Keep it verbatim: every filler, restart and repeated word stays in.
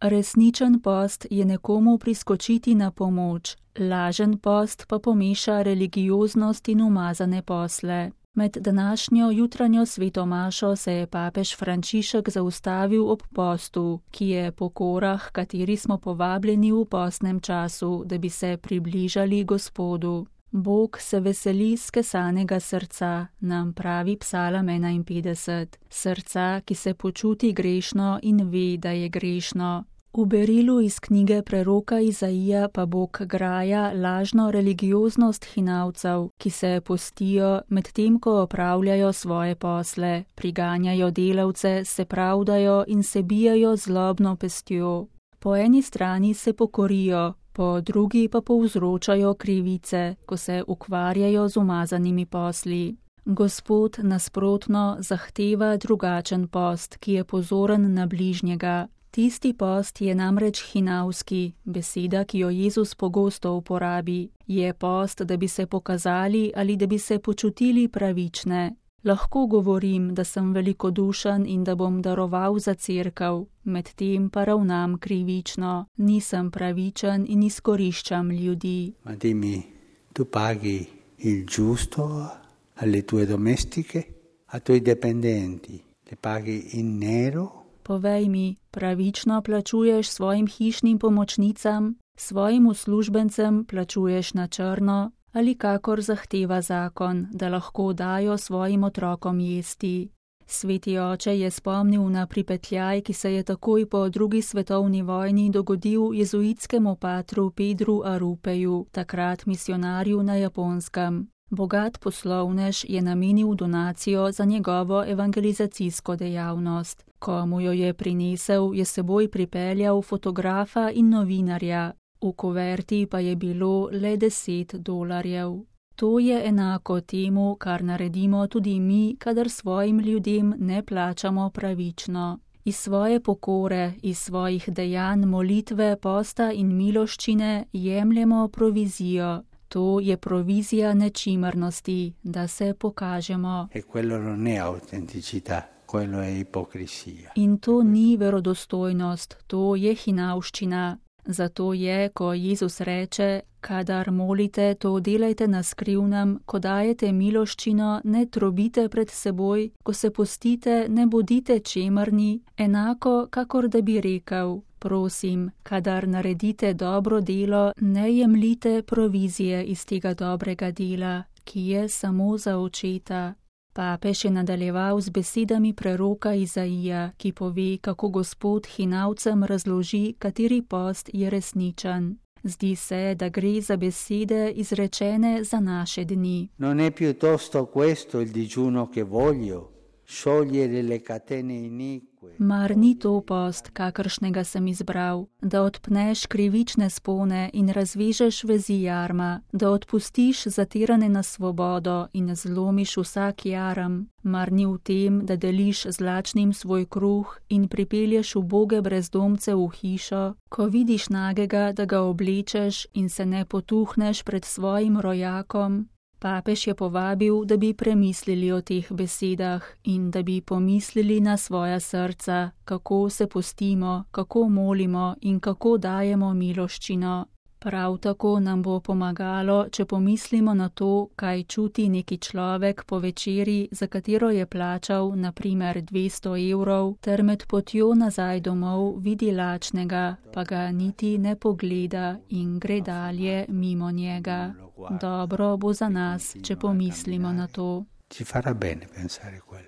Resničen post je nekomu priskočiti na pomoč, lažen post pa pomeša religioznost in umazane posle. Med današnjo jutranjo svetomašo se je papež Frančišek zaustavil ob postu, ki je pokora, kateri smo povabljeni v postnem času, da bi se približali Gospodu. Bog se veseli skesanega srca, nam pravi Psalam enainpetdeset, srca, ki se počuti grešno in ve, da je grešno. V berilu iz knjige preroka Izaija pa Bog graja lažno religioznost hinavcev, ki se postijo, medtem ko opravljajo svoje posle, priganjajo delavce, se pravdajo in se bijajo zlobno pestjo. Po eni strani se pokorijo, po drugi pa povzročajo krivice, ko se ukvarjajo z umazanimi posli. Gospod nasprotno zahteva drugačen post, ki je pozoren na bližnjega. Tisti post je namreč hinavski, beseda, ki jo Jezus pogosto uporabi. Je post, da bi se pokazali ali da bi se počutili pravične. Lahko govorim, da sem velikodušen in da bom daroval za cerkev, medtem pa ravnam krivično. Nisem pravičen in izkoriščam ljudi. Ma dimmi, tu paghi il giusto alle tue domestiche, a tuoi dipendenti, le paghi in nero? Povej mi, pravično plačuješ svojim hišnim pomočnicam, svojim uslužbencem plačuješ na črno ali kakor zahteva zakon, da lahko dajo svojim otrokom jesti. Sveti oče je spomnil na pripetljaj, ki se je takoj po drugi svetovni vojni dogodil jezuitskemu patru Pedru Arupeju, takrat misionarju na Japonskem. Bogat poslovnež je namenil donacijo za njegovo evangelizacijsko dejavnost. Ko mu jo je prinesel, je seboj pripeljal fotografa in novinarja. V kuverti pa je bilo le deset dolarjev. To je enako temu, kar naredimo tudi mi, kadar svojim ljudem ne plačamo pravično. Iz svoje pokore, iz svojih dejanj, molitve, posta in miloščine jemljemo provizijo. To je provizija nečimrnosti, da se pokažemo. E quello non è autenticità, quello è ipocrisia. In to ni verodostojnost, to je hinavščina. Zato je, ko Jezus reče, kadar molite, to delajte na skrivnem, ko dajete miloščino, ne trobite pred seboj, ko se postite, ne bodite čemerni, enako, kakor da bi rekel. Prosim, kadar naredite dobro delo, ne jemljite provizije iz tega dobrega dela, ki je samo za očeta. Papež je nadaljeval z besedami preroka Izaija, ki pove, kako Gospod hinavcem razloži, kateri post je resničen. Zdi se, da gre za besede izrečene za naše dni. Non è piuttosto questo il digiuno che voglio, sciogliere le catene inique. Mar ni to post, kakršnega sem izbral, da odpneš krivične spone in razvežeš vezi jarma, da odpustiš zatirane na svobodo in zlomiš vsak jarem. Mar ni v tem, da deliš z lačnim svoj kruh in pripelješ uboge brezdomce v hišo, ko vidiš nagega, da ga oblečeš in se ne potuhneš pred svojim rojakom? Papež je povabil, da bi premislili o teh besedah in da bi pomislili na svoja srca, kako se postimo, kako molimo in kako dajemo miloščino. Prav tako nam bo pomagalo, če pomislimo na to, kaj čuti neki človek po večeri, za katero je plačal na primer dvesto evrov, ter med potjo nazaj domov vidi lačnega, pa ga niti ne pogleda in gre dalje mimo njega. Dobro bo za nas, če pomislimo na to. Ci farà bene pensare quello.